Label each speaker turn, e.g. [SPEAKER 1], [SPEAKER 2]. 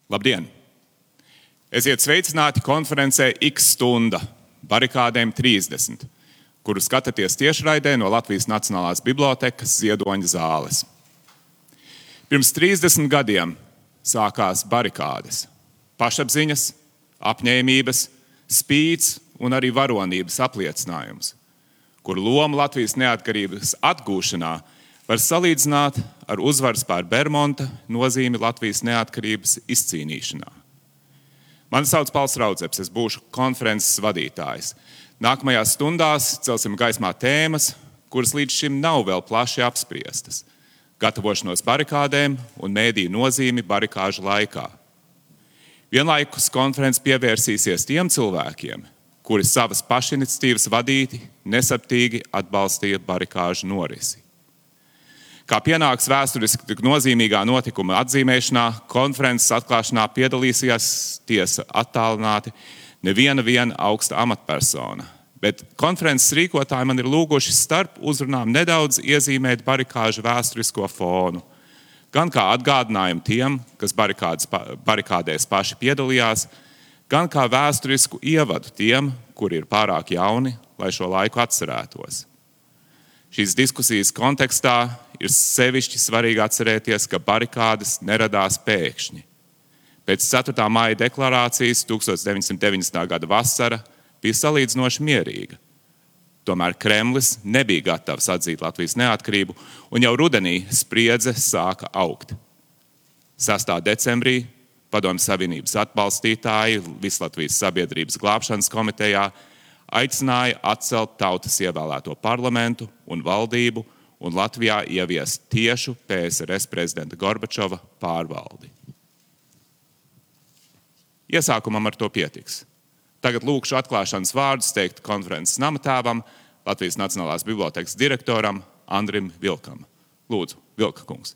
[SPEAKER 1] Labdien! Esiet sveicināti konferencē X stunda barikādēm 30, kuru skatāties tiešraidē no Latvijas Nacionālās bibliotekas Ziedoņa zāles. Pirms 30 gadiem sākās barikādes, pašapziņas, apņēmības, spīts un arī varonības apliecinājums, kuru lomu Latvijas neatkarības atgūšanā var salīdzināt ar uzvaras pār Bermonta nozīmi Latvijas neatkarības izcīnīšanā. Mani sauc Pauls Raudzeps, es būšu konferences vadītājs. Nākamajās stundās celsim gaismā tēmas, kuras līdz šim nav vēl plaši apspriestas. Gatavošanos barikādēm un mēdīju nozīmi barikāžu laikā. Vienlaikus konferences pievērsīsies tiem cilvēkiem, kuri savas pašiniciatīvas vadīti nesaptīgi atbalstīja barikāžu norisi. Kā pienāks vēsturiski tik nozīmīgā notikuma atzīmēšanā, konferences atklāšanā piedalīsies tiesa attālināti neviena augsta amatpersona, bet konferences rīkotāji man ir lūguši starp uzrunām nedaudz iezīmēt barikāžu vēsturisko fonu, gan kā atgādinājumu tiem, kas barikādēs paši piedalījās, gan kā vēsturisku ievadu tiem, kuri ir pārāk jauni, lai šo laiku atcerētos. Šīs diskusijas kontekstā ir sevišķi svarīgi atcerēties, ka barikādes neradās pēkšņi. Pēc 4. māja deklarācijas 1990. gada vasara bija salīdzinoši mierīga. Tomēr Kremlis nebija gatavs atzīt Latvijas neatkarību, un jau rudenī spriedze sāka augt. 6. decembrī Padomju Savienības atbalstītāji Vislatvijas sabiedrības glābšanas komitejā aicināja atcelt tautas ievēlēto parlamentu un valdību un Latvijā ieviest tiešu PSRS prezidenta Gorbačova pārvaldi. Iesākumam ar to pietiks. Tagad lūkšu atklāšanas vārdus teikt konferences namatēvam, Latvijas Nacionālās bibliotekas direktoram Andrim Vilkam. Lūdzu, Vilka kungs.